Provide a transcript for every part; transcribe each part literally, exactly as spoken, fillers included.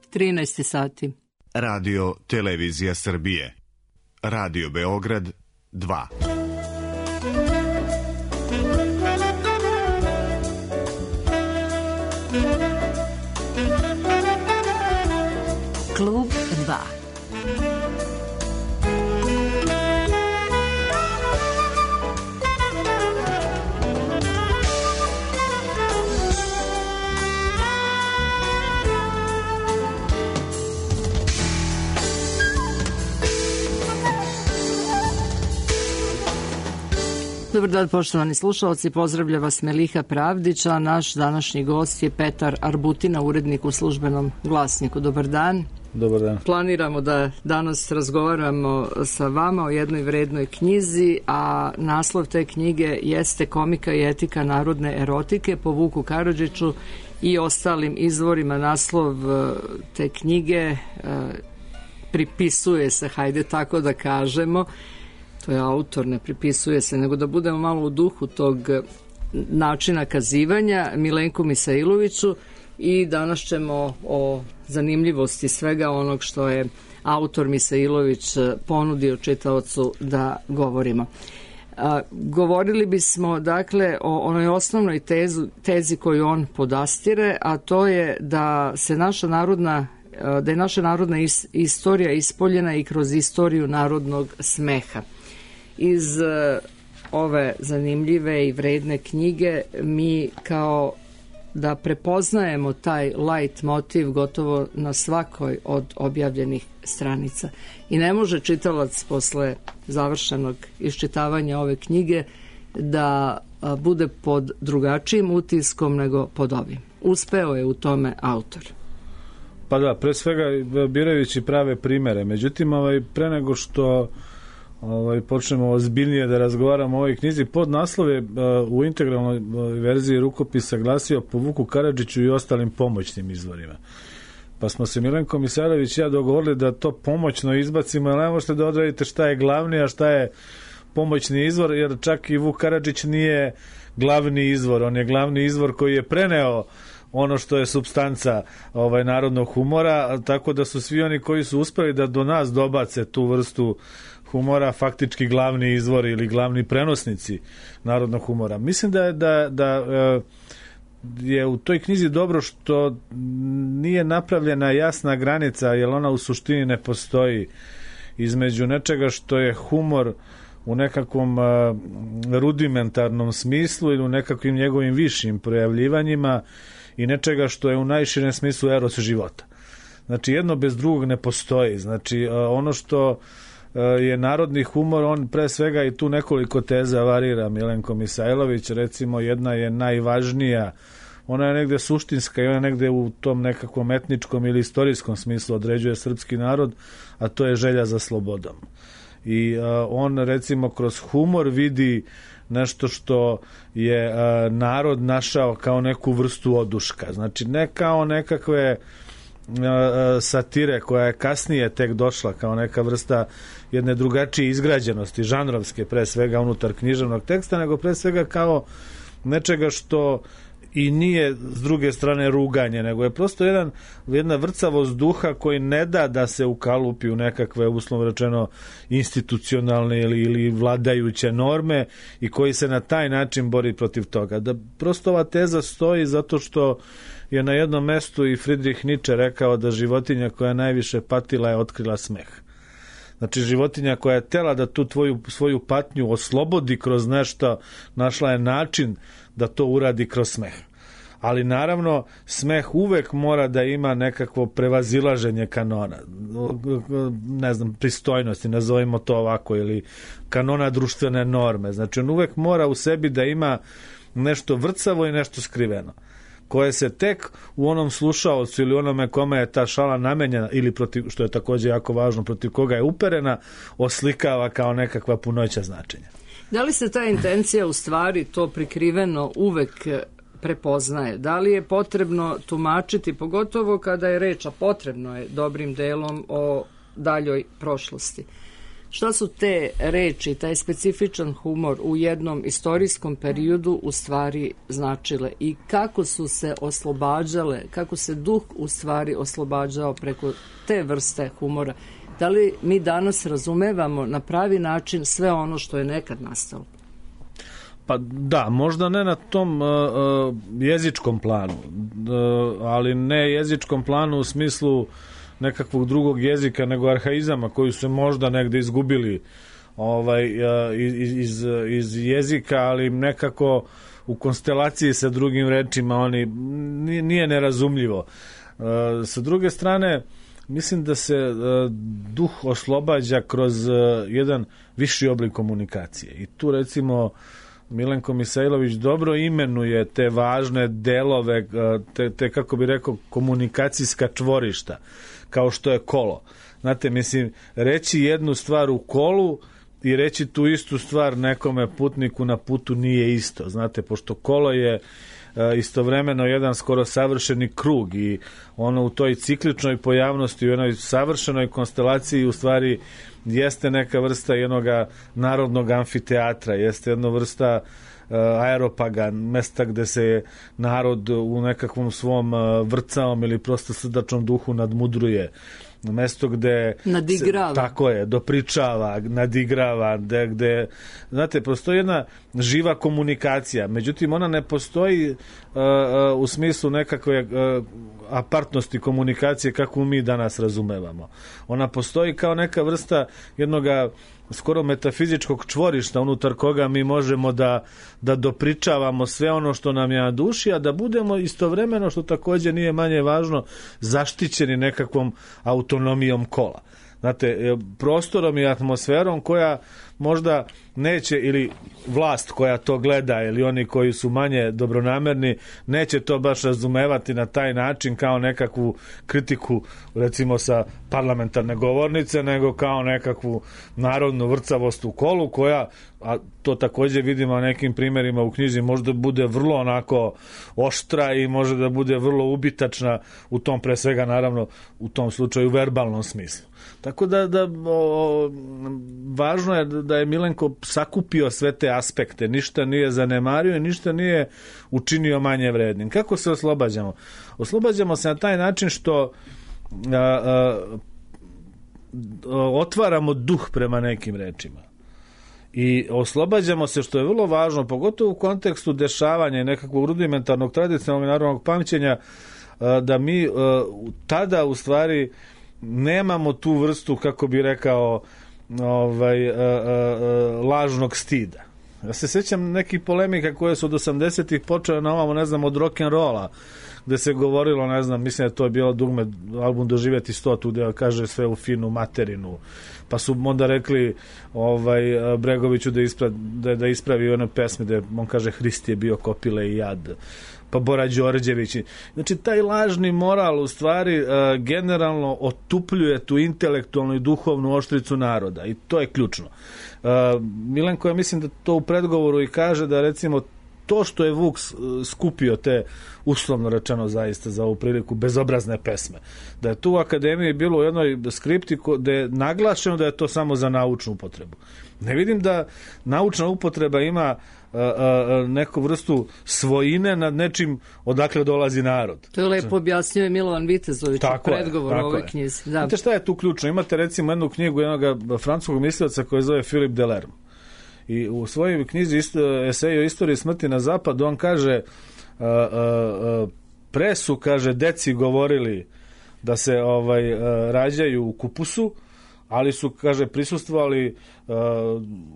trinaest sati. Radio Televizija Srbije. Radio Beograd dva. Klub dva. Dobar dan, poštovani slušalci, pozdravlja vas Meliha Pravdić, a naš današnji gost je Petar Arbutina, urednik u Službenom glasniku. Dobar dan. Dobar dan. Planiramo da danas razgovaramo sa vama o jednoj vrednoj knjizi, a naslov te knjige jeste Komika i etika narodne erotike po Vuku Karadžiću i ostalim izvorima. Naslov te knjige pripisuje se, hajde tako da kažemo, to je autor, ne pripisuje se, nego da budemo malo u duhu tog načina kazivanja, Milenku Misailoviću, i danas ćemo o zanimljivosti svega onog što je autor Misailović ponudio čitaocu da govorimo. A, govorili bismo dakle o onoj osnovnoj tezu, tezi koju on podastire, a to je da se naša narodna da je naša narodna is, istorija ispoljena i kroz istoriju narodnog smeha. Iz uh, ove zanimljive i vredne knjige mi kao da prepoznajemo taj light motiv gotovo na svakoj od objavljenih stranica. I ne može čitalac posle završenog iščitavanja ove knjige da uh, bude pod drugačijim utiskom nego pod ovim. Uspeo je u tome autor. Pa da, pre svega birajući prave primere. Međutim, ovaj, pre nego što ovaj, počnemo ozbiljnije da razgovaramo o ovoj knjizi, podnaslov je uh, u integralnoj uh, verziji rukopisa glasio po Vuku Karadžiću i ostalim pomoćnim izvorima. Pa smo se Milenko Misailović i ja dogovorili da to pomoćno izbacimo, ali ne možete da odredite šta je glavni, a šta je pomoćni izvor, jer čak i Vuk Karadžić nije glavni izvor, on je glavni izvor koji je preneo ono što je supstanca ovaj narodnog humora, tako da su svi oni koji su uspeli da do nas dobace tu vrstu humora faktički glavni izvori ili glavni prenosnici narodnog humora. Mislim da, da, da je u toj knjizi dobro što nije napravljena jasna granica, jer ona u suštini ne postoji, između nečega što je humor u nekakvom rudimentarnom smislu ili u nekakvim njegovim višim projavljivanjima i nečega što je u najširem smislu eros života. Znači, jedno bez drugog ne postoji. Znači, ono što je narodni humor, on pre svega i tu nekoliko teza varira Milenko Misailović, recimo jedna je najvažnija, ona je negde suštinska i ona je negde u tom nekakvom etničkom ili istorijskom smislu određuje srpski narod, a to je želja za slobodom. I uh, on recimo kroz humor vidi nešto što je uh, narod našao kao neku vrstu oduška. Znači ne kao nekakve uh, satire koja je kasnije tek došla kao neka vrsta jedne drugačije izgrađenosti, žanrovske pre svega unutar književnog teksta, nego pre svega kao nečega što i nije s druge strane ruganje, nego je prosto jedan, jedna vrcavost duha koji ne da da se ukalupi u nekakve, uslovno rečeno, institucionalne ili, ili vladajuće norme i koji se na taj način bori protiv toga. Da prosto ova teza stoji zato što je na jednom mestu i Friedrich Nietzsche rekao da životinja koja najviše patila je otkrila smeh. Znači, životinja koja je tela da tu tvoju, svoju patnju oslobodi kroz nešto, našla je način da to uradi kroz smeh. Ali naravno, smeh uvek mora da ima nekakvo prevazilaženje kanona, ne znam, pristojnosti, nazovimo to ovako, ili kanona društvene norme. Znači, on uvek mora u sebi da ima nešto vrcavo i nešto skriveno, koje se tek u onom slušaocu ili onome kome je ta šala namenjena ili protiv, što je također jako važno, protiv koga je uperena, oslikava kao nekakva punoća značenja. Da li se ta intencija u stvari, to prikriveno, uvek prepoznaje? Da li je potrebno tumačiti, pogotovo kada je reč, a potrebno je dobrim delom, o daljoj prošlosti? Šta su te reči, taj specifičan humor u jednom istorijskom periodu u stvari značile i kako su se oslobađale, kako se duh u stvari oslobađao preko te vrste humora? Da li mi danas razumevamo na pravi način sve ono što je nekad nastalo? Pa da, možda ne na tom uh, uh, jezičkom planu, uh, ali ne jezičkom planu u smislu nekakvog drugog jezika, nego arhaizama koji su se možda negde izgubili ovaj, uh, iz, iz, iz jezika, ali nekako u konstelaciji sa drugim rečima oni nije nerazumljivo. Uh, sa druge strane, mislim da se uh, duh oslobađa kroz uh, jedan viši oblik komunikacije. I tu recimo Milenko Misailović dobro imenuje te važne delove, te, te kako bi rekao, komunikacijska čvorišta, kao što je kolo. Znate, mislim, reći jednu stvar u kolu i reći tu istu stvar nekome putniku na putu nije isto. Znate, pošto kolo je istovremeno jedan skoro savršeni krug i ono u toj cikličnoj pojavnosti, u jednoj savršenoj konstelaciji u stvari jeste neka vrsta jednoga narodnog amfiteatra, jeste jedna vrsta uh, aeropaga, mesta gde se narod u nekakvom svom uh, vrcaom ili prosto srdačnom duhu nadmudruje. Mesto gde nadigrava. Se, tako je, dopričava, nadigrava, gde, gde znate, postoji jedna živa komunikacija, međutim ona ne postoji uh, uh, u smislu nekakve uh, apartnosti komunikacije kako mi danas razumevamo. Ona postoji kao neka vrsta jednoga skoro metafizičkog čvorišta unutar koga mi možemo da, da dopričavamo sve ono što nam je na duši, a da budemo istovremeno, što također nije manje važno, zaštićeni nekakvom autonomijom kola. Znate, prostorom i atmosferom koja možda neće, ili vlast koja to gleda, ili oni koji su manje dobronamerni, neće to baš razumevati na taj način kao nekakvu kritiku, recimo sa parlamentarne govornice, nego kao nekakvu narodnu vrcavost u kolu koja, a to također vidimo na nekim primjerima u knjizi, možda bude vrlo onako oštra i može da bude vrlo ubitačna u tom, pre svega naravno u tom slučaju verbalnom smislu. Tako da, da o, važno je da je Milenko sakupio sve te aspekte, ništa nije zanemario i ništa nije učinio manje vrednim. Kako se oslobađamo? Oslobađamo se na taj način što a, a, otvaramo duh prema nekim rečima. I oslobađamo se, što je vrlo važno, pogotovo u kontekstu dešavanja i nekakvog rudimentarnog tradicionalnog narodnog pamćenja, da mi tada u stvari nemamo tu vrstu, kako bi rekao, ovaj, a, a, a, lažnog stida. Ja se sjećam nekih polemika koje su od osamdesetih počele na ovamo, ne znam, od rock'n'rolla, gde se govorilo, ne znam, mislim da to je bilo dugme album Doživjeti stotu, gde kaže sve u finu materinu, pa su onda rekli ovaj, Bregoviću da, ispra, da, da ispravi one pesme gde on kaže Hrist je bio kopile i jad, pa Bora Đorđević. Znači, taj lažni moral u stvari uh, generalno otupljuje tu intelektualnu i duhovnu oštricu naroda i to je ključno. Uh, Milenko, ja mislim da to u predgovoru i kaže da recimo to što je Vuk skupio te, uslovno rečeno zaista za ovu priliku, bezobrazne pesme, da je tu u akademiji bilo u jednoj skripti gde je naglašeno da je to samo za naučnu upotrebu. Ne vidim da naučna upotreba ima a, a, neku vrstu svojine nad nečim odakle dolazi narod. To je lepo objasnio je Milovan Vitezović u predgovoru u ovoj knjizi. Da. Znate šta je tu ključno? Imate recimo jednu knjigu jednog francuskog mislioca koji zove Philippe Delerme. I u svojoj knjizi isto, eseju o istoriji smrti na zapadu on kaže uh, uh, pre su, kaže, deci govorili da se ovaj uh, rađaju u kupusu, ali su, kaže, prisustvovali uh,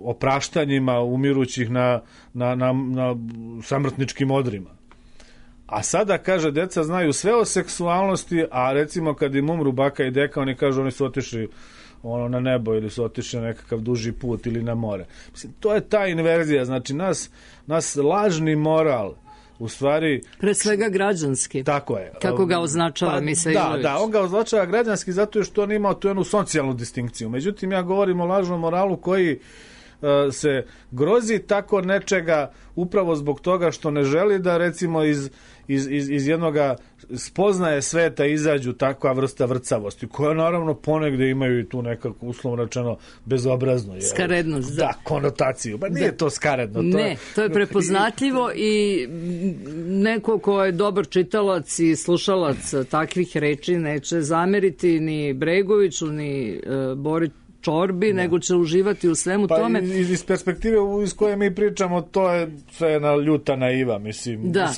opraštanjima umirućih na, na, na, na samrtničkim odrima. A sada, kaže, deca znaju sve o seksualnosti, a recimo kad im umru baka i deka, oni kažu oni su otišli ono na nebo ili su otišli na nekakav duži put ili na more. Mislim, to je ta inverzija, znači nas, nas lažni moral u stvari... Pre svega građanski. Tako je. Kako ga označava pa, Misailović. Da, da, on ga označava građanski zato što on ima tu jednu socijalnu distinkciju. Međutim, ja govorim o lažnom moralu koji se grozi tako nečega upravo zbog toga što ne želi da recimo iz, iz, iz, iz jednoga spoznaje sveta izađu takva vrsta vrcavosti, koja naravno ponegde imaju i tu nekako uslovno rečeno bezobrazno. Skarednost, da. Da, konotaciju. Ba nije da. To skaredno. To ne, je, to je prepoznatljivo i neko ko je dobar čitalac i slušalac takvih reči neće zameriti ni Bregoviću, ni uh, Bori Čorbi, da. Nego će uživati u svemu pa tome. Iz, iz perspektive iz koje mi pričamo, to je sve jedna ljuta naiva, mislim, da.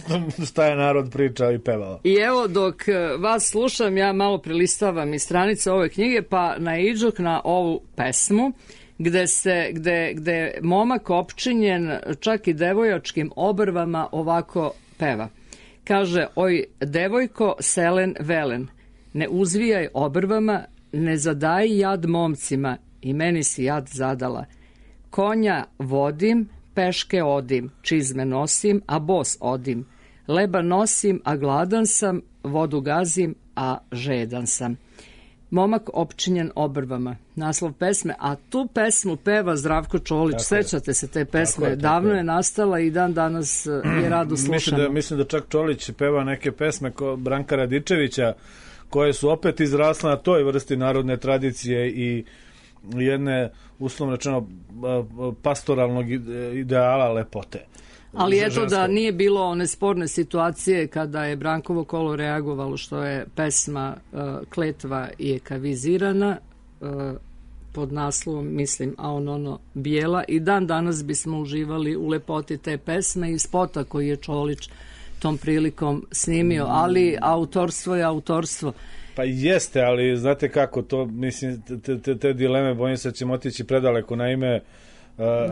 Šta je narod pričao i pevao. I evo, dok vas slušam, ja malo prelistavam iz stranice ove knjige, pa naiđoh na ovu pesmu, gde se, gde, gde momak opčinjen čak i devojačkim obrvama ovako peva. Kaže, oj, devojko selen velen, ne uzvijaj obrvama, ne zadaj jad momcima, i meni si jad zadala. Konja vodim, peške odim, čizme nosim, a bos odim. Leba nosim, a gladan sam, vodu gazim, a žedan sam. Momak opčinjen obrvama, naslov pesme, a tu pesmu peva Zdravko Čolić. Tako sećate je. Se te pesme, je, davno je, je nastala i dan danas je rado slušamo. Mislim da, mislim da čak Čolić peva neke pesme ko Branka Radičevića, koje su opet izrasle na toj vrsti narodne tradicije i jedne, uslovno rečeno, pastoralnog ideala lepote. Ali eto da nije bilo one sporne situacije kada je Brankovo kolo reagovalo što je pesma uh, Kletva je kavizirana uh, pod naslovom, mislim, a on ono bijela, i dan danas bismo uživali u lepoti te pesme i spota koji je Čolić tom prilikom snimio, ali autorstvo je autorstvo. Pa jeste, ali znate kako to, mislim, te, te, te dileme, bojim se, ćemo otići predaleko. Naime,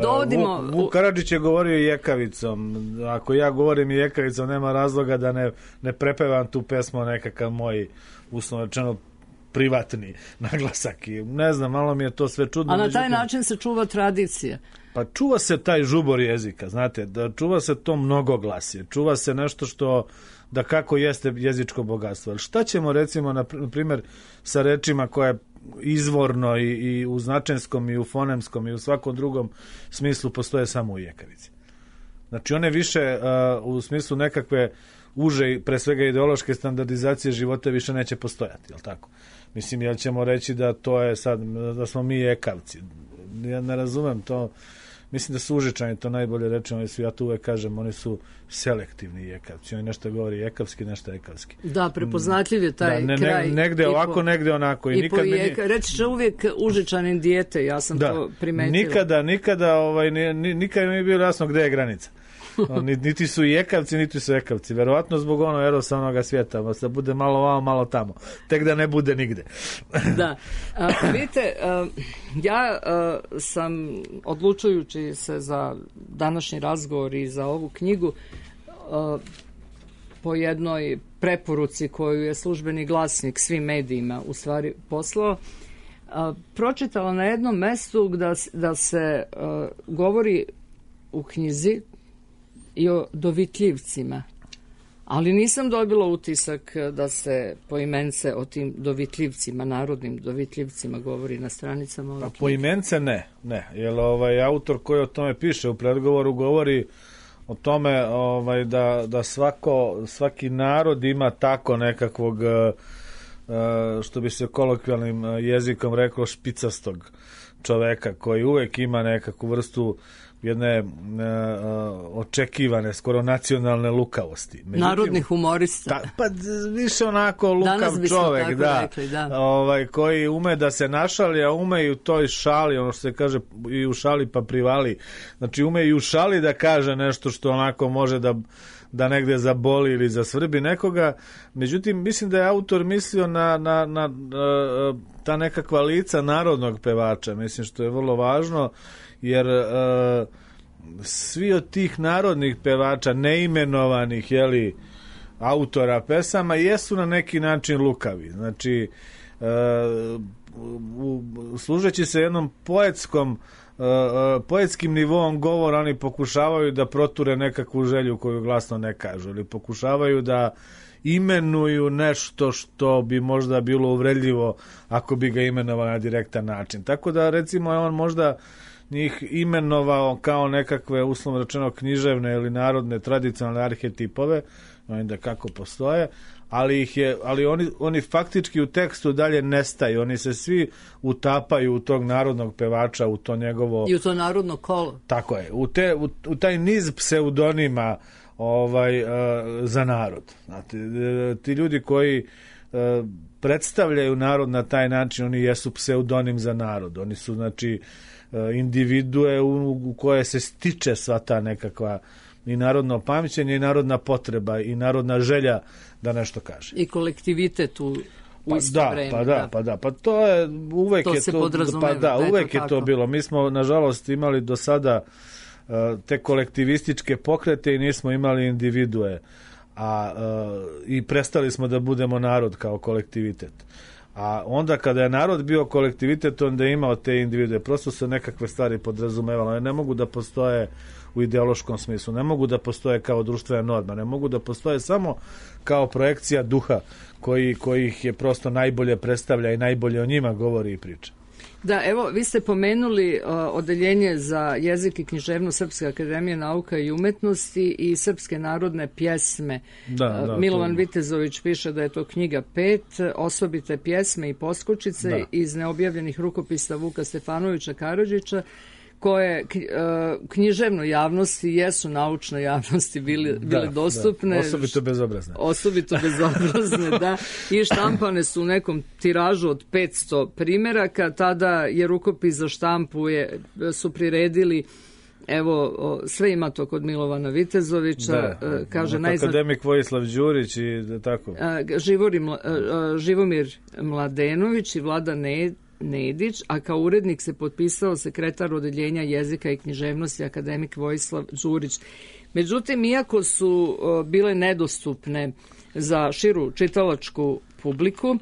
Dovodimo... Vuk, Vuk Karadžić je govorio jekavicom. Ako ja govorim jekavicom, nema razloga da ne, ne prepevam tu pesmu nekakav moj, uslovno rečeno, privatni naglasak. I ne znam, malo mi je to sve čudno. A na taj međutim, način se čuva tradicija. Pa čuva se taj žubor jezika, znate, da čuva se to mnogoglasje, čuva se nešto što da kako jeste jezičko bogatstvo. Ali šta ćemo recimo, na primjer, sa rečima koje izvorno i, i u značenskom i u fonemskom i u svakom drugom smislu postoje samo u jekavici. Znači one više uh, u smislu nekakve uže, pre svega ideološke standardizacije života više neće postojati, jel tako? Mislim, jel ćemo reći da to je sad, da smo mi jekavci. Ja ne razumem to. Mislim da su Užičani to najbolje rečeno, ja to uvek kažem, oni su selektivni jekavci. Oni nešto govori jekavski, nešto ekavski. Da, prepoznatljiv je taj da, ne, kraj. Negde ovako, po, negde onako. I, i nikad jeka, meni... Reći će uvijek Užičanin dijete, ja sam da, to primetila. Nikada, nikada, ovaj, nikada mi je bilo jasno gde je granica. Niti su jekavci, niti su ekavci. Verovatno zbog ono erosa onoga svijeta, da bude malo vamo, malo tamo. Tek da ne bude nigde. Da. A, vidite, a, ja a, sam, odlučujući se za današnji razgovor i za ovu knjigu, a, po jednoj preporuci koju je Službeni glasnik svim medijima u stvari poslao, a, pročitala na jednom mestu da, da se a, govori u knjizi i o dovitljivcima, ali nisam dobila utisak da se poimence o tim dovitljivcima, narodnim dovitljivcima govori na stranicama. Pa poimence ne, ne, jer ovaj autor koji o tome piše u predgovoru govori o tome ovaj, da, da svako, svaki narod ima tako nekakvog, što bi se kolokvijalnim jezikom reklo, špicastog čoveka koji uvek ima nekakvu vrstu jedne uh, očekivane, skoro nacionalne lukavosti. Međutim, narodni humorista. Ta, pa više onako lukav čovek, da, rekli, da. Ovaj, koji ume da se našali, a ume i u toj šali, ono što se kaže i u šali pa privali. Znači ume i u šali da kaže nešto što onako može da da negde zaboli ili zasvrbi nekoga. Međutim, mislim da je autor mislio na, na, na, na ta nekakva lica narodnog pevača. Mislim što je vrlo važno, jer uh, svi od tih narodnih pevača, neimenovanih, jeli, autora pesama, jesu na neki način lukavi. Znači, uh, u, služeći se jednom poetskom, uh, uh, poetskim nivoom govora, oni pokušavaju da proture nekakvu želju koju glasno ne kažu, ili pokušavaju da imenuju nešto što bi možda bilo uvredljivo ako bi ga imenovao na direktan način. Tako da, recimo, on možda njih imenovao kao nekakve, uslovno rečeno, književne ili narodne tradicionalne arhetipove, da kako postoje, ali ih je, ali oni, oni faktički u tekstu dalje nestaju, oni se svi utapaju u tog narodnog pevača, u to njegovo... I u to narodno kolo. Tako je, u, te, u, u taj niz pseudonima ovaj, uh, za narod. Znate, ti ljudi koji uh, predstavljaju narod na taj način, oni jesu pseudonim za narod, oni su, znači, uh, individue u, u koje se stiče sva ta nekakva i narodno pamćenje i narodna potreba i narodna želja da nešto kaže. I kolektivitet u, u pa isto da, vreme. Pa da, da, pa da, pa to je uvek to je se to, podrazumeva, pa da, da uvek je to je to tako. bilo. Mi smo nažalost imali do sada uh, te kolektivističke pokrete i nismo imali individue. A uh, i prestali smo da budemo narod kao kolektivitet. A onda kada je narod bio kolektivitet, onda je imao te individue. Prosto se nekakve stvari podrazumevalo. Ne mogu da postoje u ideološkom smislu, ne mogu da postoje kao društvena norma, ne mogu da postoje samo kao projekcija duha koji, koji ih je prosto najbolje predstavlja i najbolje o njima govori i priča. Da, evo, vi ste pomenuli uh, odeljenje za jezik i književnost Srpske akademije nauka i umetnosti i srpske narodne pjesme. Da, da, uh, Milovan to... Vitezović piše da je to knjiga pet, osobite pjesme i poskočice da. iz neobjavljenih rukopisa Vuka Stefanovića Karadžića, koje književnoj javnosti jesu naučnoj javnosti bili, bile da, dostupne. Da, osobito bezobrazne. Osobito bezobrazne, da. I štampane su u nekom tiražu od petsto primjeraka. Tada je rukopis za štampu je, su priredili, evo, sve ima to kod Milovana Vitezovića. Da, kaže, najzna... akademik Vojislav Đurić i da tako. Živori, Živomir Mladenović i Vlada Ned Nedić, a kao urednik se potpisao sekretar odeljenja jezika i književnosti akademik Vojislav Đurić. Međutim, iako su uh, bile nedostupne za širu čitalačku publiku, uh,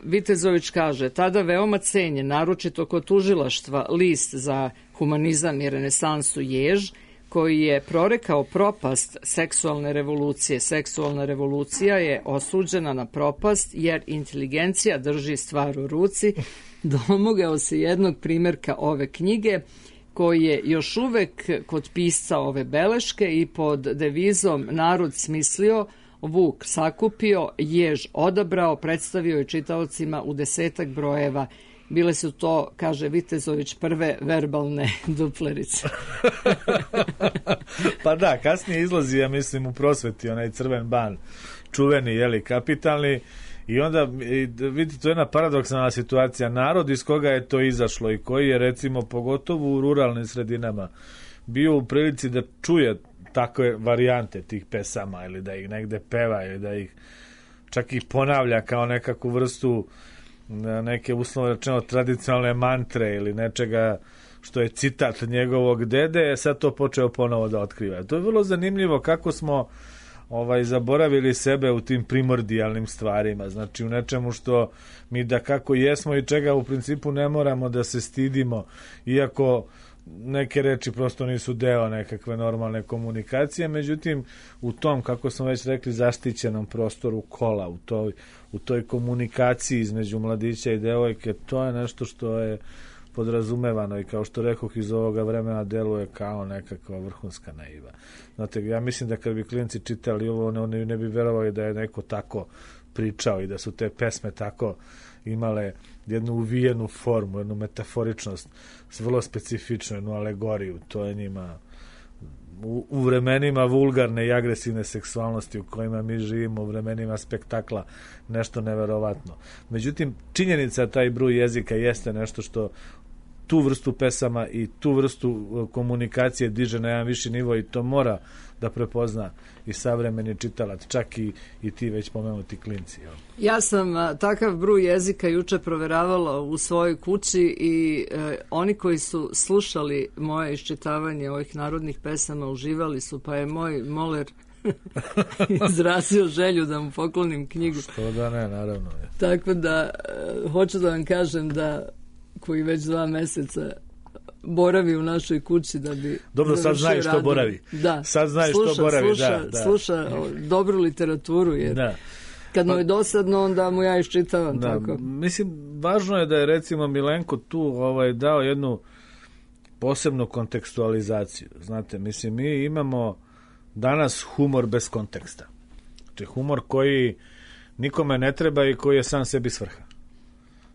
Vitezović kaže, tada veoma cenjen, naročito kod tužilaštva, list za humanizam i renesansu Jež, koji je prorekao propast seksualne revolucije. Seksualna revolucija je osuđena na propast jer inteligencija drži stvar u ruci. Domogao se jednog primjerka ove knjige koji je još uvek kod pisca ove beleške i pod devizom narod smislio, Vuk sakupio, Jež odabrao, predstavio je čitaocima u desetak brojeva. Bile su to, kaže Vitezović, prve verbalne duplerice. Pa da, kasnije izlazi, ja mislim, u prosveti onaj crven ban, čuveni, jeli, kapitalni, i onda, vidite, to je jedna paradoksalna situacija. Narod iz koga je to izašlo i koji je, recimo, pogotovo u ruralnim sredinama, bio u prilici da čuje takve varijante tih pesama ili da ih negde peva ili da ih čak i ponavlja kao nekakvu vrstu neke, uslovno rečeno, tradicionalne mantre ili nečega što je citat njegovog dede, je sad to počeo ponovo da otkriva. To je vrlo zanimljivo kako smo ovaj zaboravili sebe u tim primordijalnim stvarima, znači u nečemu što mi da kako jesmo i čega u principu ne moramo da se stidimo, iako neke reči prosto nisu deo nekakve normalne komunikacije, međutim u tom, kako smo već rekli, zaštićenom prostoru kola, u toj, u toj komunikaciji između mladića i devojke, to je nešto što je podrazumevano i kao što rekoh iz ovoga vremena deluje kao nekakva vrhunska naiva. Znate, ja mislim da kad bi klinci čitali ovo, oni ne bi verovali da je neko tako pričao i da su te pesme tako imale jednu uvijenu formu, jednu metaforičnost, vrlo specifičnu, jednu alegoriju. To je njima u, u vremenima vulgarne i agresivne seksualnosti u kojima mi živimo, u vremenima spektakla, nešto neverovatno. Međutim, činjenica taj bruj jezika jeste nešto što tu vrstu pesama i tu vrstu komunikacije diže na jedan viši nivo i to mora da prepozna i savremeni čitalac, čak i, i ti već pomenuti klinci. Jel? Ja sam a, takav bruj jezika juče proveravala u svojoj kući i e, oni koji su slušali moje iščitavanje ovih narodnih pesama uživali su, pa je moj moler izrazio želju da mu poklonim knjigu. Što da ne, naravno. Je. Tako da e, hoću da vam kažem da koji već dva meseca boravi u našoj kući da bi... Dobro, sad znaš što boravi. Da. Sad znaš sluša, što boravi, sluša, da, da. Sluša dobru literaturu, jer da. kad mu pa, je dosadno, onda mu ja iščitavam da, tako. Mislim, važno je da je recimo Milenko tu ovaj, dao jednu posebnu kontekstualizaciju. Znate, mislim, mi imamo danas humor bez konteksta. Znači, humor koji nikome ne treba i koji je sam sebi svrha.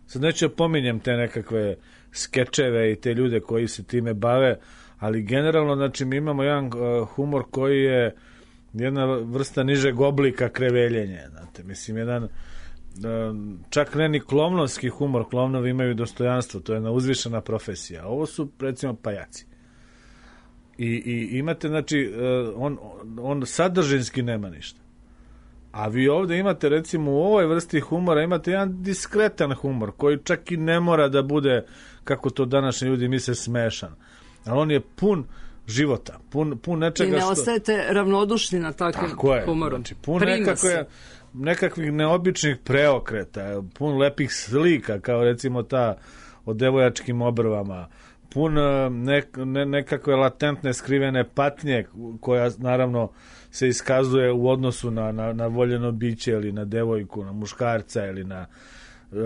Sad neću pominjem te nekakve skečeve i te ljude koji se time bave, ali generalno, znači, mi imamo jedan uh, humor koji je jedna vrsta nižeg oblika kreveljenja. Znate, mislim, jedan uh, čak ne ni klovnovski humor, klovnovi imaju dostojanstvo, to je jedna uzvišena profesija. Ovo su, recimo, pajaci. I, i imate, znači, uh, on, on sadržinski nema ništa. A vi ovdje imate, recimo, u ovoj vrsti humora imate jedan diskretan humor koji čak i ne mora da bude, kako to današnji ljudi misle, smešan. Ali on je pun života, pun, pun nečega što... I ne ostajete ravnodušni na takvim humorom. Znači, pun nekakve, nekakvih neobičnih preokreta, pun lepih slika, kao recimo ta o devojačkim obrvama, pun ne, ne, nekakve latentne skrivene patnje koja naravno se iskazuje u odnosu na, na, na voljeno biće ili na devojku, na muškarca ili na uh,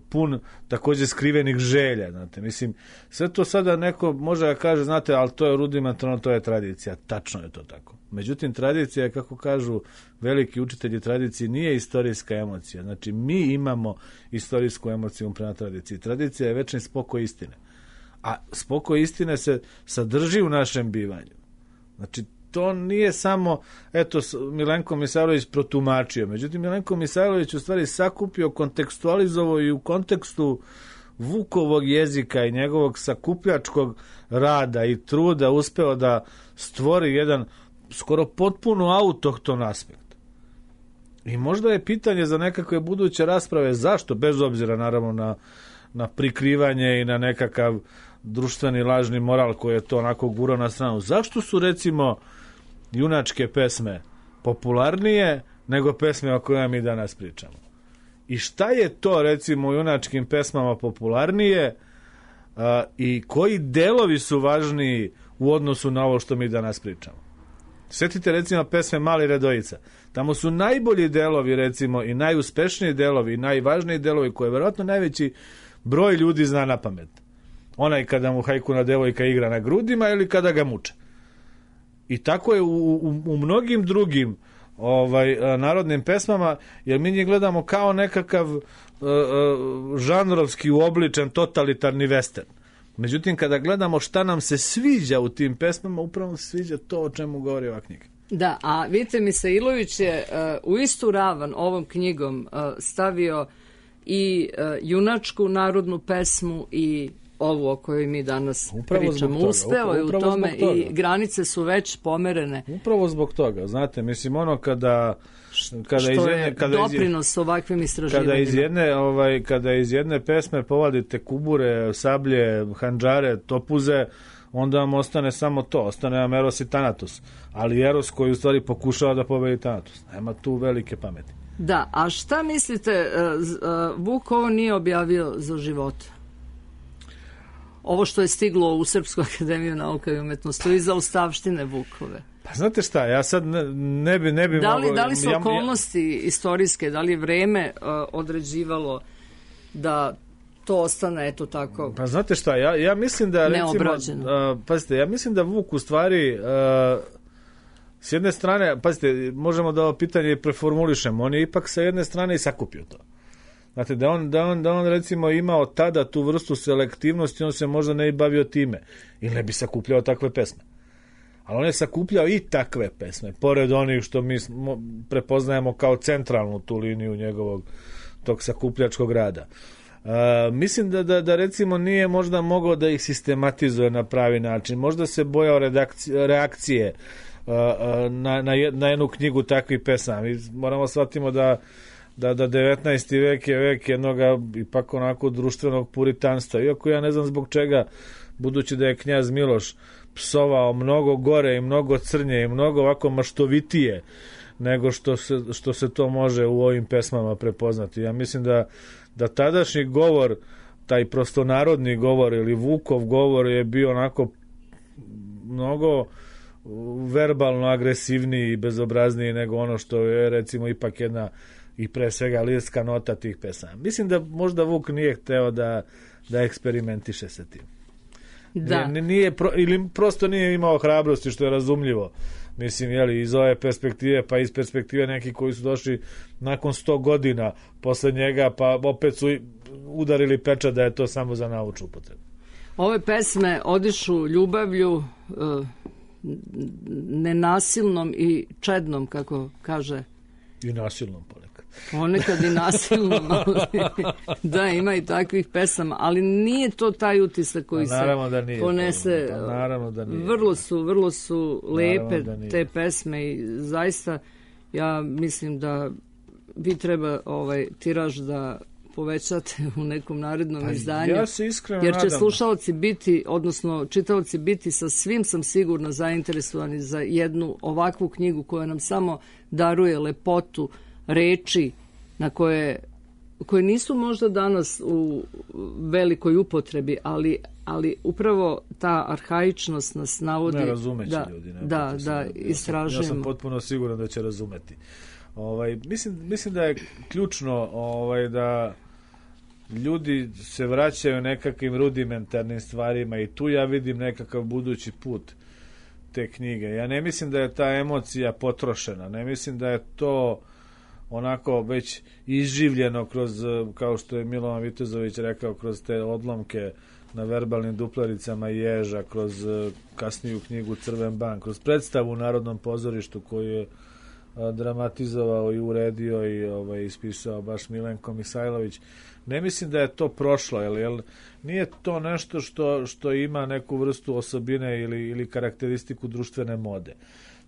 pun također skrivenih želja. Znate. Mislim, sve to sada neko može da kaže, znate, ali to je rudimentarno, to je tradicija. Tačno je to tako. Međutim, tradicija je, kako kažu veliki učitelji tradicije, nije istorijska emocija. Znači, mi imamo istorijsku emociju prema tradiciji. Tradicija je večni spokoj istine. A spokoj istine se sadrži u našem bivanju. Znači, to nije samo, eto, Milenko Misajlović protumačio. Međutim, Milenko Misajlović u stvari sakupio, kontekstualizovao i u kontekstu Vukovog jezika i njegovog sakupljačkog rada i truda uspeo da stvori jedan skoro potpuno autohton aspekt. I možda je pitanje za nekakve buduće rasprave zašto, bez obzira naravno na, na prikrivanje i na nekakav društveni lažni moral koji je to onako gurao na stranu. Zašto su, recimo, junačke pesme popularnije nego pesme o kojima mi danas pričamo? I šta je to, recimo, u junačkim pesmama popularnije a, i koji delovi su važniji u odnosu na ovo što mi danas pričamo? Sjetite, recimo, pesme Mali Redojica. Tamo su najbolji delovi, recimo, i najuspešniji delovi i najvažniji delovi koje vjerojatno najveći broj ljudi zna na pamet. Onaj kada mu hajkuna devojka igra na grudima ili kada ga muče. I tako je u, u, u mnogim drugim ovaj, narodnim pesmama, jer mi njih gledamo kao nekakav uh, uh, žanrovski uobličen totalitarni western. Međutim, kada gledamo šta nam se sviđa u tim pesmama, upravo se sviđa to o čemu govori ova knjiga. Da, a vidite, Misailović je uh, u istu ravan ovom knjigom uh, stavio i uh, junačku narodnu pesmu i ovu o kojoj mi danas upravo pričamo. Uspeo je u tome i granice su već pomerene. Upravo zbog toga, znate, mislim, ono kada kada što iz jedne, je kada doprinos iz, ovakvim istraživanjima. Kada iz jedne, ovaj, kada iz jedne pesme povadite kubure, sablje, handžare, topuze, onda vam ostane samo to, ostane vam Eros i Thanatos. Ali Eros koji u stvari pokušava da pobedi Thanatos. Nema tu velike pameti. Da, a šta mislite, Vuk ovo nije objavio za života? Ovo što je stiglo u Srpsku akademiju nauka i umetnosti, to je za ustavštine Vukove. Pa znate šta, ja sad ne, ne bi, ne bi da li, mogao... Da li su ja, okolnosti ja, istorijske, da li je vreme uh, određivalo da to ostane, eto tako... Pa znate šta, ja, ja mislim da... Neobrađeno. Recimo, uh, pazite, ja mislim da Vuk u stvari... Uh, s jedne strane, pazite, možemo da ovo pitanje preformulišemo, on je ipak sa jedne strane i sakupio to. Znate, da on, da, on, da on recimo imao tada tu vrstu selektivnosti, on se možda ne bi bavio time. Ili ne bi sakupljao takve pesme. Ali on je sakupljao i takve pesme, pored onih što mi prepoznajemo kao centralnu tu liniju njegovog tog sakupljačkog rada. Uh, mislim da, da, da recimo nije možda mogao da ih sistematizuje na pravi način. Možda se bojao redakcije, reakcije uh, na, na, na jednu knjigu takvih pesama. Mi moramo shvatimo da Da, da devetnaesti vek je vek jednog ipak onako društvenog puritanstva. Iako ja ne znam zbog čega, budući da je knjaz Miloš psovao mnogo gore i mnogo crnje i mnogo ovako maštovitije nego što se, što se to može u ovim pesmama prepoznati. Ja mislim da, da tadašnji govor, taj prostonarodni govor ili Vukov govor je bio onako mnogo verbalno agresivniji i bezobrazniji nego ono što je recimo ipak jedna i pre svega lirska nota tih pesama. Mislim da možda Vuk nije hteo da, da eksperimentiše sa tim. Da. Nije, nije pro, ili prosto nije imao hrabrosti, što je razumljivo. Mislim, jeli, iz ove perspektive, pa iz perspektive neki koji su došli nakon sto godina posle njega, pa opet su udarili pečat da je to samo za naučnu upotrebu. Ove pesme odišu ljubavlju, nenasilnom i čednom, kako kaže. I nasilnom ponekad. Ponekad i nasilnom, ali da, ima i takvih pesama, ali nije to taj utisak koji se da nije, ponese. pa naravno da nije. Vrlo su, vrlo su lepe te pesme i zaista ja mislim da vi treba ovaj tiraž da povećate u nekom narednom pa izdanju. Ja se iskreno jer će nadam. slušaoci biti, odnosno čitaoci biti sa svim sam sigurno zainteresovani za jednu ovakvu knjigu koja nam samo daruje lepotu reči na koje, koje nisu možda danas u velikoj upotrebi, ali, ali upravo ta arhaičnost nas navodi ne razumeći da, ljudi. Ne, da, da istražujemo. Ja sam potpuno siguran da će razumeti. Ovaj, mislim, mislim da je ključno ovaj, da ljudi se vraćaju nekakvim rudimentarnim stvarima i tu ja vidim nekakav budući put te knjige. Ja ne mislim da je ta emocija potrošena, ne mislim da je to onako već izživljeno kroz, kao što je Milovan Vitezović rekao, kroz te odlomke na verbalnim duplaricama Ježa, kroz kasniju knjigu Crven ban, kroz predstavu u Narodnom pozorištu koju je dramatizovao i uredio i ovaj, ispisao baš Milenko Misajlović. Ne mislim da je to prošlo, jer, jer nije to nešto što, što ima neku vrstu osobine ili, ili karakteristiku društvene mode.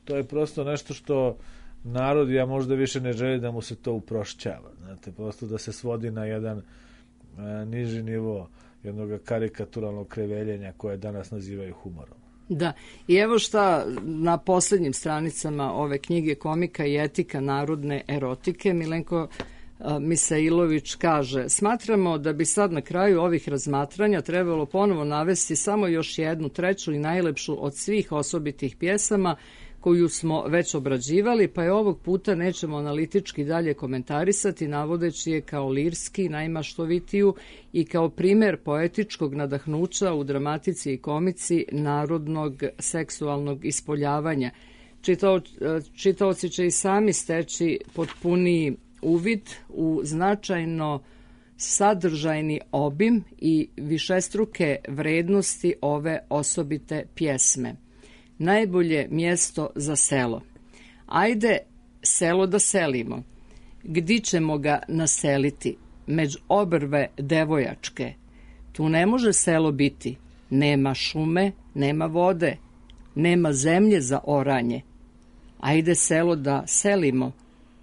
To je prosto nešto što narod, ja možda više ne želi da mu se to uprošćava. Znate, prosto da se svodi na jedan a, niži nivo jednog karikaturalnog kreveljenja koje danas nazivaju humorom. Da, i evo šta na posljednjim stranicama ove knjige Komika i etika narodne erotike Milenko Misailović kaže: smatramo da bi sad na kraju ovih razmatranja trebalo ponovo navesti samo još jednu, treću i najlepšu od svih osobitih pjesama koju smo već obrađivali, pa je ovog puta nećemo analitički dalje komentarisati, navodeći je kao lirski, najmaštovitiju i kao primer poetičkog nadahnuća u dramatici i komici narodnog seksualnog ispoljavanja. Čitao, čitaoci će i sami steći potpuniji uvid u značajno sadržajni obim i višestruke vrednosti ove osobite pjesme. Najbolje mjesto za selo. Ajde selo da selimo. Gdi ćemo ga naseliti? Među obrve devojačke. Tu ne može selo biti. Nema šume, nema vode, nema zemlje za oranje. Ajde selo da selimo.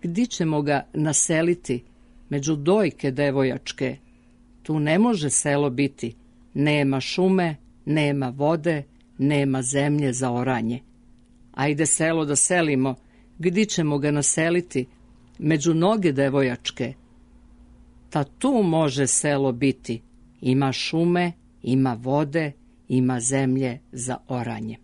Gdi ćemo ga naseliti? Među dojke devojačke. Tu ne može selo biti. Nema šume, nema vode, nema zemlje za oranje. Ajde selo da selimo, gdi ćemo ga naseliti? Među noge devojačke. Ta tu može selo biti. Ima šume, ima vode, ima zemlje za oranje.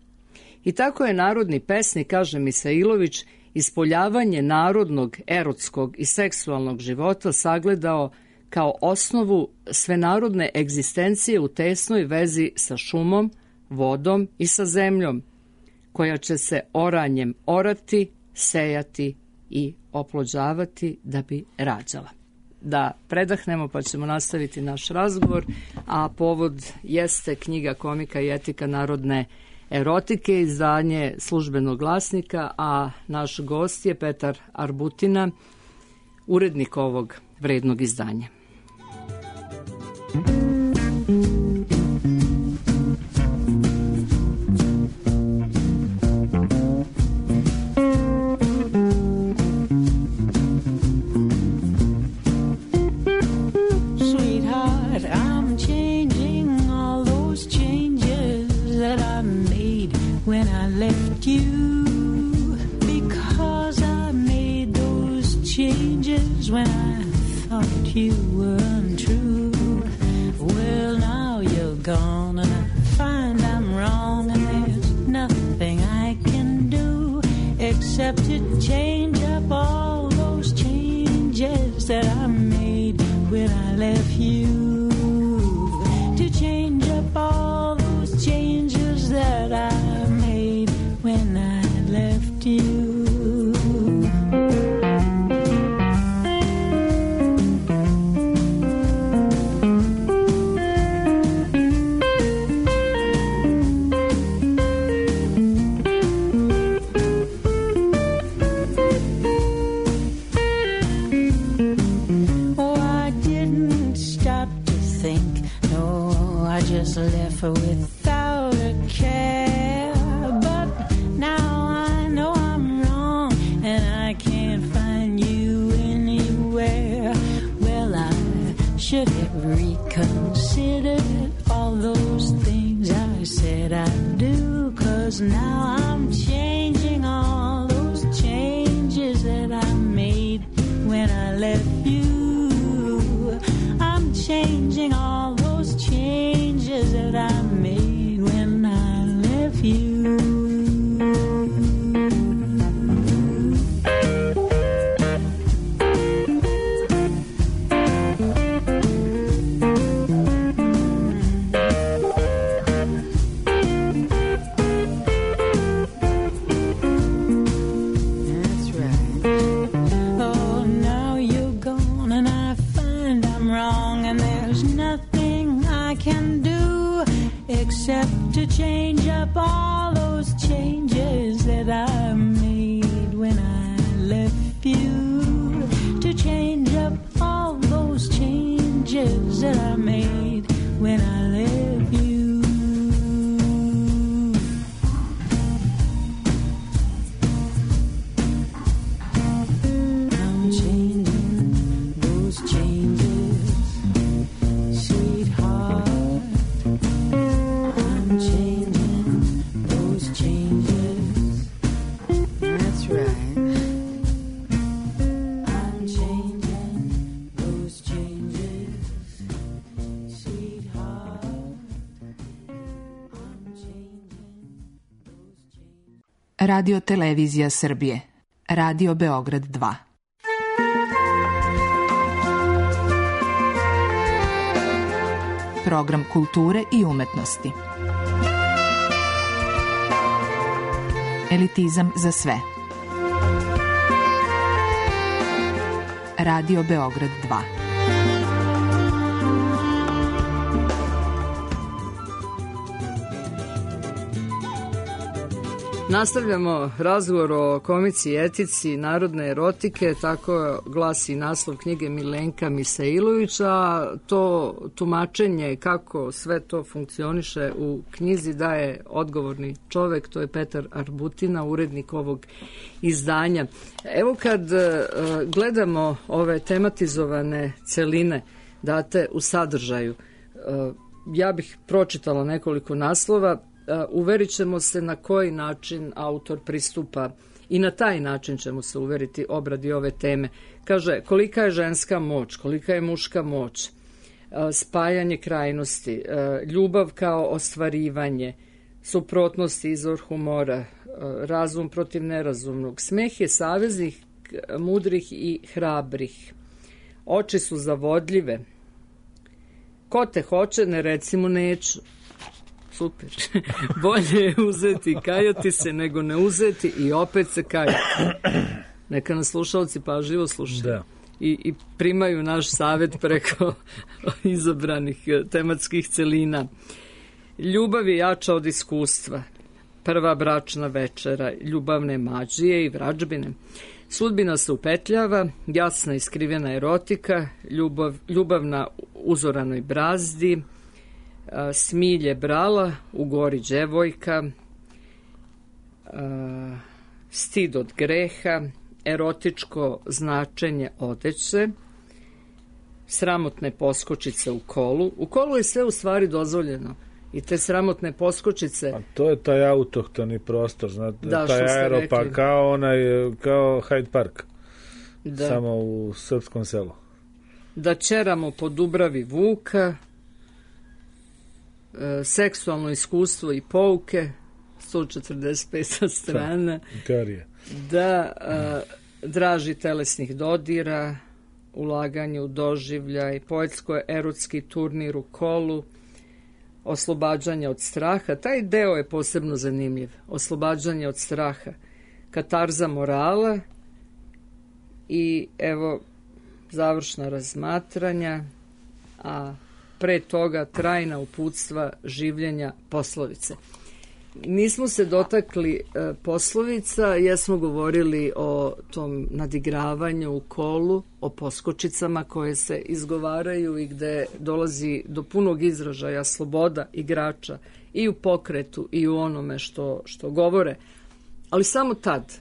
I tako je narodni pesnik, kaže Misailović, ispoljavanje narodnog, erotskog i seksualnog života sagledao kao osnovu svenarodne egzistencije u tesnoj vezi sa šumom, vodom i sa zemljom, koja će se oranjem orati, sejati i oplođavati da bi rađala. Da predahnemo pa ćemo nastaviti naš razgovor, a povod jeste knjiga Komika i etika narodne erotike, izdanje Službenog glasnika, a naš gost je Petar Arbutina, urednik ovog vrednog izdanja. When I left you, because I made those changes when I thought you were untrue. Well, now you're gone and I find I'm wrong, and there's nothing I can do except to change up all those changes that I made when I left you. To change up all those changes think. No, I just left her without a care. But now I know I'm wrong, and I can't find you anywhere. Well, I should have reconsidered all those things I said I'd do, 'cause now I'm changing all those changes that I made when I left you. I'm changing all those changes that I made when I left you. Except to change up all those changes that I made when I left you. To change up all those changes that I made when I left you. I'm changing those changes, sweetheart. Changing those changes. That's right. I'm changing those changes, sweetheart. I'm changing those changes. Radio Televizija Srbije. Radio Beograd dva. Program kulture i umetnosti. Elitizam za sve. Radio Beograd dva. Nastavljamo razgovor o komici i etici narodne erotike, tako glasi naslov knjige Milenka Misailovića. To tumačenje kako sve to funkcioniše u knjizi daje odgovorni čovek, to je Petar Arbutina, urednik ovog izdanja. Evo kad uh, gledamo ove tematizovane celine date u sadržaju, uh, ja bih pročitala nekoliko naslova. Uverit ćemo se na koji način autor pristupa i na taj način ćemo se uveriti obradi ove teme. Kaže, kolika je ženska moć, kolika je muška moć, spajanje krajnosti, ljubav kao ostvarivanje, suprotnosti, izvor humora, razum protiv nerazumnog. Smeh je saveznik mudrih i hrabrih. Oči su zavodljive. Ko te hoće, ne reci mu neću. Super. Bolje je uzeti i kajati se nego ne uzeti i opet se kajati. Neka nas slušalci pažljivo slušaju. Da. I, i primaju naš savjet preko izabranih tematskih celina. Ljubav je jača od iskustva. Prva bračna večera, ljubavne mađije i vrađbine. Sudbina se upetljava, jasna i skrivena erotika, ljubav, ljubav na uzoranoj brazdi, smilje brala, u gori djevojka, stid od greha, erotičko značenje odeće, sramotne poskočice u kolu. U kolu je sve u stvari dozvoljeno. I te sramotne poskočice. A to je taj autohtoni prostor, znate, da, taj aeropark, kao onaj, kao Hyde Park. Da. Samo u srpskom selu. Da ćeramo po Dubravi Vuka, e, seksualno iskustvo i pouke, sto četrdeset peta strana. Teorija. Da, e, draži telesnih dodira, ulaganje u doživljaj, poetsko-erotski turnir u kolu, oslobađanje od straha. Taj deo je posebno zanimljiv. Oslobađanje od straha. Katarza morala i evo završna razmatranja, a pre toga trajna uputstva življenja poslovice. nismo se dotakli e, poslovica, jesmo govorili o tom nadigravanju u kolu, o poskočicama koje se izgovaraju i gde dolazi do punog izražaja sloboda igrača i u pokretu i u onome što, što govore. Ali samo tad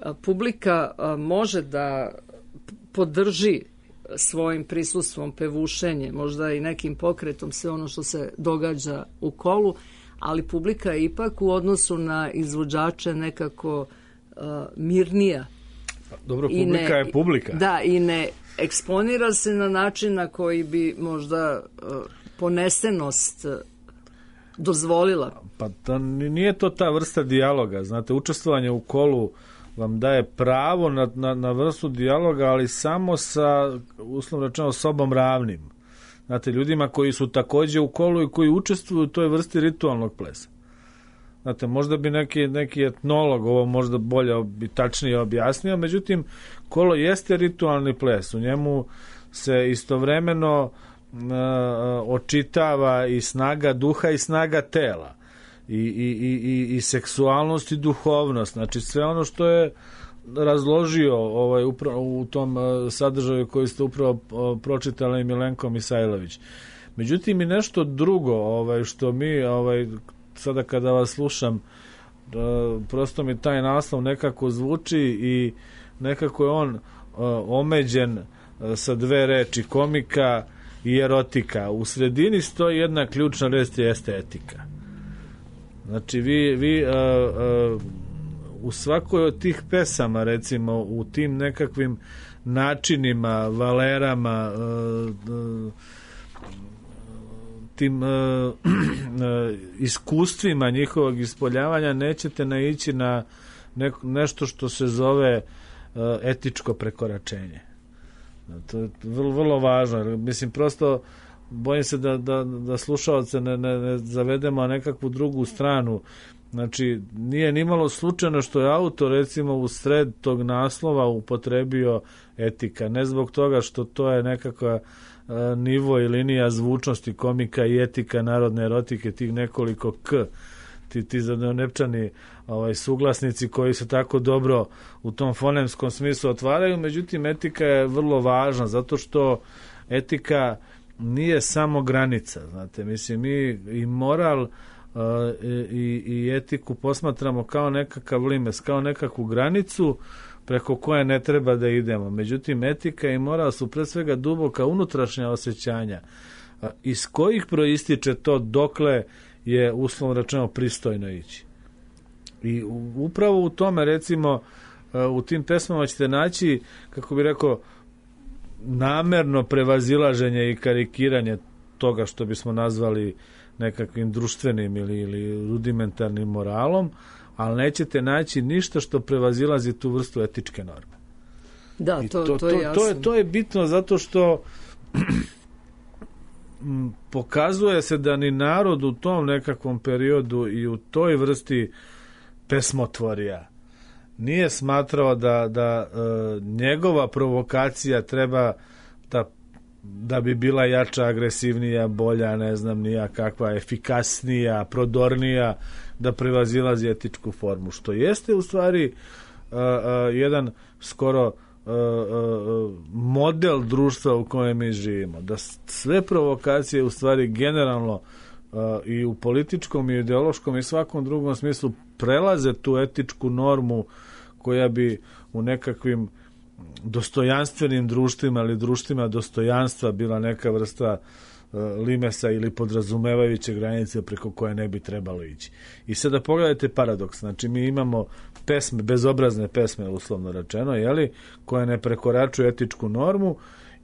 a, publika a, može da podrži svojim prisustvom, pevušenjem, možda i nekim pokretom sve ono što se događa u kolu, ali publika je ipak u odnosu na izvođače nekako uh, mirnija. Dobro, publika ne, je publika. Da, i ne eksponira se na način na koji bi možda uh, ponesenost uh, dozvolila. Pa to, nije to ta vrsta dijaloga. Znate, učestvovanje u kolu vam daje pravo na, na, na vrstu dijaloga, ali samo sa, uslovno rečeno, sobom ravnim. Znate, ljudima koji su takođe u kolu i koji učestvuju u toj vrsti ritualnog plesa. Znate, možda bi neki, neki etnolog ovo možda bolje i tačnije objasnio, međutim, kolo jeste ritualni ples. U njemu se istovremeno uh, očitava i snaga duha i snaga tela. I, i, i, i seksualnost i duhovnost. Znači, sve ono što je razložio ovaj, upravo u tom sadržaju koji ste upravo pročitali Milenko Misajlović. Međutim, i nešto drugo ovaj, što mi ovaj, sada kada vas slušam, prosto mi taj naslov nekako zvuči i nekako je on omeđen sa dve reči, komika i erotika. U sredini stoji jedna ključna reč, jeste etika. Znači, vi, vi uh, uh, u svakoj od tih pesama, recimo, u tim nekakvim načinima, valerama, uh, uh, tim uh, iskustvima njihovog ispoljavanja nećete naići na ne, nešto što se zove uh, etičko prekoračenje. To je vrlo, vrlo važno. Mislim, prosto bojim se da, da, da slušalce ne, ne, ne zavedemo na nekakvu drugu stranu. Znači, nije nimalo slučajno što je autor, recimo, u sred tog naslova upotrebio etika. Ne zbog toga što to je nekakva uh, nivo i linija zvučnosti komika i etika narodne erotike, tih nekoliko k, ti, ti zadonepčani ovaj, suglasnici koji se tako dobro u tom fonemskom smislu otvaraju. Međutim, etika je vrlo važna, zato što etika nije samo granica, znate, mislim, mi i moral uh, i, i etiku posmatramo kao nekakav limes, kao nekakvu granicu preko koje ne treba da idemo. Međutim, etika i moral su pre svega duboka unutrašnja osjećanja, uh, iz kojih proističe to dokle je uslovno rečeno pristojno ići. I upravo u tome, recimo, uh, u tim pesmama ćete naći, kako bi rekao, namerno prevazilaženje i karikiranje toga što bismo nazvali nekakvim društvenim ili, ili rudimentarnim moralom, ali nećete naći ništa što prevazilazi tu vrstu etičke norme. Da, to, to, to je jasno. To je, to je bitno zato što pokazuje se da ni narod u tom nekakvom periodu i u toj vrsti pesmotvorija nije smatrao da, da e, njegova provokacija treba da, da bi bila jača, agresivnija, bolja, ne znam nija kakva, efikasnija, prodornija, da prevazilazi etičku formu, što jeste u stvari e, e, jedan skoro e, e, model društva u kojem mi živimo, da sve provokacije u stvari generalno e, i u političkom i ideološkom i svakom drugom smislu prelaze tu etičku normu koja bi u nekakvim dostojanstvenim društvima ili društvima dostojanstva bila neka vrsta uh, limesa ili podrazumevajuće granice preko koje ne bi trebalo ići. I sada pogledajte paradoks, znači mi imamo pesme, bezobrazne pesme uslovno rečeno, jeli, koje ne prekoračuju etičku normu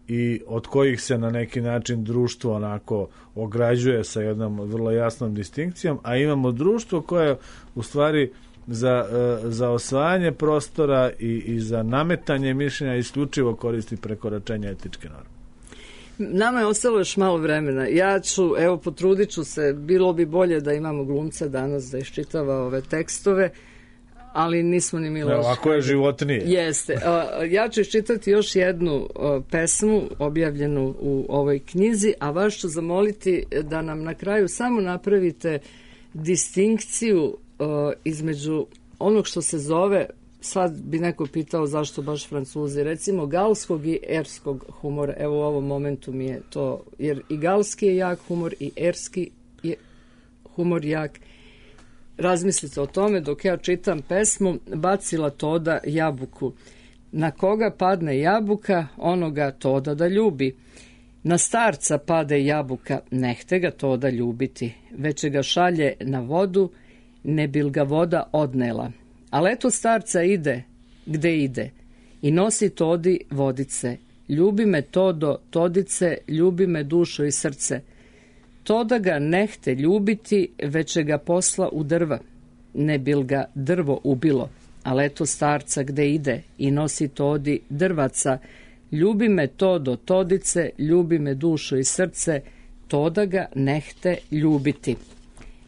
i od kojih se na neki način društvo onako ograđuje sa jednom vrlo jasnom distinkcijom, a imamo društvo koje u stvari za, za osvajanje prostora i, i za nametanje mišljenja isključivo koristi prekoračenje etičke norme. Nama je ostalo još malo vremena. Ja ću, evo, potrudit ću se, bilo bi bolje da imamo glumca danas da iščitava ove tekstove, ali nismo ni Miloš. Ovako je životnije. Jeste. Ja ću iščitati još jednu pesmu objavljenu u ovoj knjizi, a vas ću zamoliti da nam na kraju samo napravite distinkciju uh, između onog što se zove, sad bi neko pitao zašto baš Francuzi, recimo galskog i erskog humora. Evo u ovom momentu mi je to, jer i galski je jak humor i erski je humor jak. Razmislite o tome dok ja čitam pesmu Bacila Toda jabuku. Na koga padne jabuka, onoga Toda da ljubi. Na starca pade jabuka, nehte ga Toda ljubiti, već ga šalje na vodu, ne bil ga voda odnela. Ali eto starca ide, gde ide, i nosi Todi vodice. Ljubi me Todo, Todice, ljubi me dušo i srce. Toda ga nehte ljubiti, već ga posla u drva, ne bil ga drvo ubilo. Ali eto starca gde ide, i nosi Todi drvaca. Ljubi me Todo, Todice, ljubi me dušo i srce, Toda ga nehte ljubiti.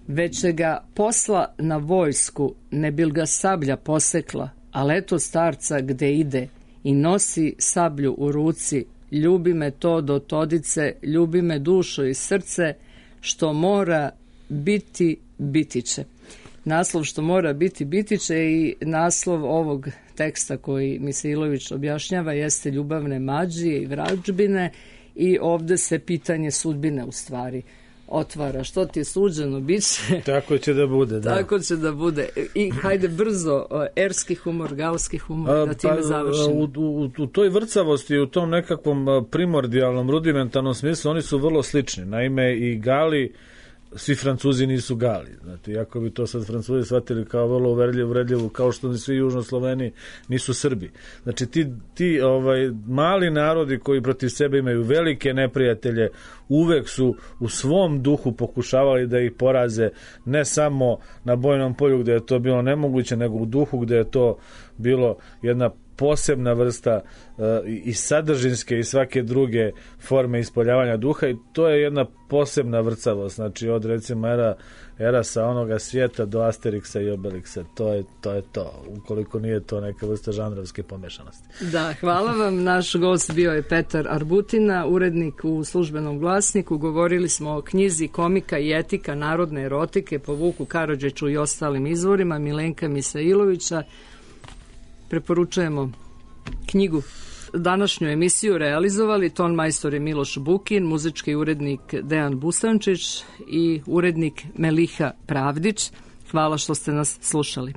Već ga posla na vojsku, ne bil ga sablja posekla, ali eto starca gde ide i nosi sablju u ruci, ljubi me Todo, Todice, ljubi me dušo i srce, što mora biti, biti će. Naslov što mora biti, biti će i naslov ovog teksta koji Misailović objašnjava jeste ljubavne mađije i vražbine i ovde se pitanje sudbine u stvari otvara. Što ti je suđeno, bit će. Tako će da bude, da. Tako će da bude. I hajde brzo, erski humor, galski humor, da time pa, završimo. U, u, u toj vrcavosti, u tom nekakvom primordijalnom, rudimentarnom smislu, oni su vrlo slični. Naime, i Gali, svi Francuzi nisu Gali. Znate, iako bi to sad Francuzi shvatili kao vrlo uvredljivu, uvredljivu, kao što ni svi južno Sloveni nisu Srbi. Znači, ti, ti ovaj, mali narodi koji protiv sebe imaju velike neprijatelje, uvek su u svom duhu pokušavali da ih poraze, ne samo na bojnom polju gde je to bilo nemoguće, nego u duhu gde je to bilo jedna posebna vrsta uh, i sadržinske i svake druge forme ispoljavanja duha, i to je jedna posebna vrcavost, znači od recimo era, era sa onoga svijeta do Asterixa i Obelixa, to je, to je to, ukoliko nije to neka vrsta žanrovske pomešanosti. Da, hvala vam. Naš gost bio je Petar Arbutina, urednik u Službenom glasniku. Govorili smo o knjizi Komika i etika narodne erotike po Vuku Karadžiću i ostalim izvorima Milenka Misailovića. Preporučujemo knjigu. Današnju emisiju realizovali ton majstor je Miloš Bukin, muzički urednik Dejan Busančić i urednik Meliha Pravdić. Hvala što ste nas slušali.